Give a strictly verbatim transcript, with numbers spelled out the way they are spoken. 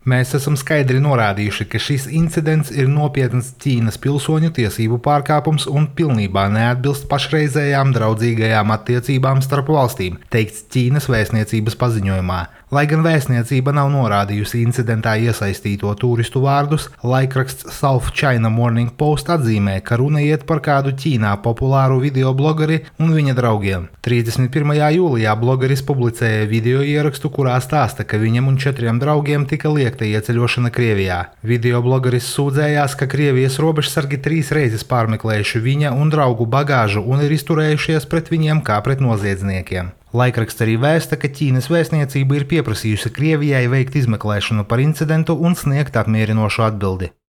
Mēs esam skaidri norādījuši, ka šis incidents ir nopietns Ķīnas pilsoņu tiesību pārkāpums un pilnībā neatbilst pašreizējām draudzīgajām attiecībām starp valstīm, teikts Ķīnas vēstniecības paziņojumā. Lai gan vēstniecība nav norādījusi incidentā iesaistīto turistu vārdus, laikraksts South China Morning Post atzīmē, ka runa iet par kādu Ķīnā populāru videoblogeri un viņa draugiem. trīsdesmit pirmajā jūlijā blogeris publicēja video ierakstu, kurā stāsta, ka viņam un četriem draugiem tika liekta ieceļošana Krievijā. Videoblogeris sūdzējās, ka Krievijas robežsargi trīs reizes pārmeklējuši viņa un draugu bagāžu un ir izturējušies pret viņiem kā pret noziedzniekiem. Laikraksts arī vēsta, ka Ķīnas vēstniecība ir pieprasījusi Krievijai veikt izmeklēšanu par incidentu un sniegt apmierinošu atbildi.